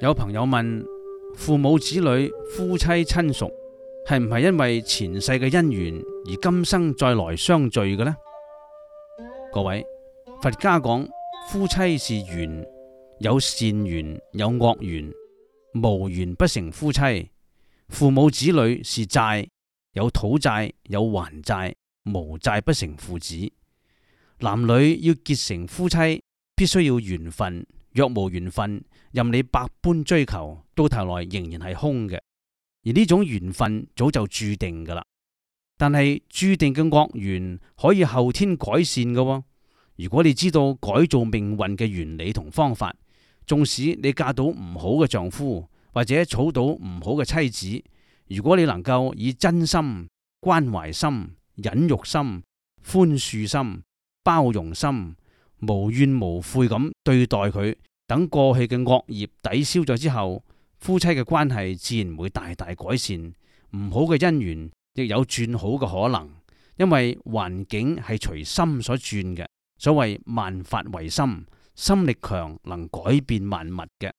有朋友問，父母子女、夫妻親屬係唔係因為前世嘅因緣而今生再來相聚嘅呢？各位，佛家講夫妻是緣，有善緣有惡緣，無緣不成夫妻；父母子女是債，有討債有還債，無債不成父子。男女要結成夫妻，必須要緣分。若無緣分，任你百般追求，到頭來仍然係空嘅。而呢種緣分早就注定噶啦。但係注定嘅惡緣可以後天改善嘅喎。如果你知道改造命運嘅原理同方法，縱使你嫁到唔好嘅丈夫，或者娶到唔好嘅妻子，如果你能夠以真心、關懷心、忍辱心、寬恕心、包容心，無怨無悔咁對待佢，等過去嘅惡業抵消咗之後，夫妻嘅關係自然會大大改善，唔好嘅姻緣亦有轉好嘅可能。因為環境係隨心所轉嘅，所謂萬法唯心，心力強能改變萬物嘅。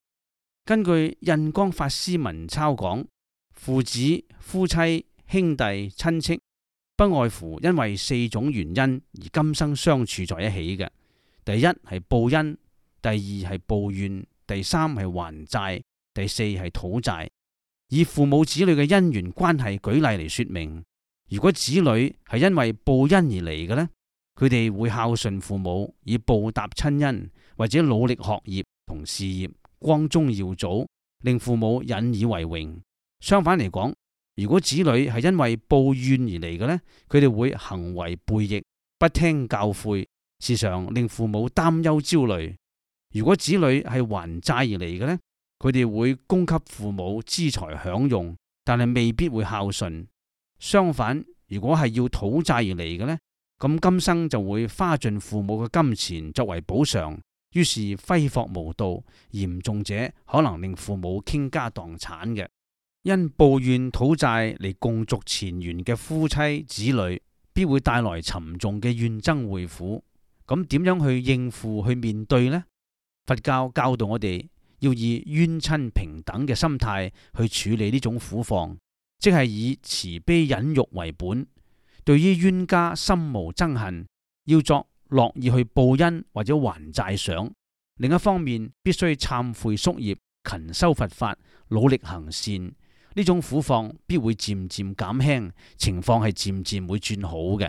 根據印光法師文鈔講，父子、夫妻、兄弟、親戚，不外乎因為4種原因而今生相處在一起嘅。第一係報恩，第二係報怨，第三係還債，第四係討債。以父母子女嘅因緣關係舉例嚟說明，如果子女係因為報恩而嚟嘅呢，佢哋會孝順父母以報答親恩，或者努力學業同事業，光宗耀祖，令父母引以為榮。相反嚟講，如果子女係因為報怨而嚟嘅呢，佢哋會行為背逆，不聽教誨，時常令父母擔憂焦慮。如果子女係還債而嚟嘅呢，佢哋會供給父母資財享用，但係未必會孝順。相反，如果係要討債而嚟嘅呢，咁今生就會花盡父母嘅金錢作為補償，於是揮霍無度，嚴重者可能令父母傾家蕩產嘅。因報怨討債嚟共續前緣嘅夫妻子女，必會帶來沉重嘅怨憎會苦。咁點樣去應付去面對呢？佛教教導我哋要以冤親平等嘅心態去處理呢種苦況，即係以慈悲忍辱為本。對於冤家心無憎恨，要作樂意去報恩或者還債想。另一方面，必須懺悔宿業，勤修佛法，努力行善。呢種苦況必會漸漸減輕，情況係漸漸會轉好嘅。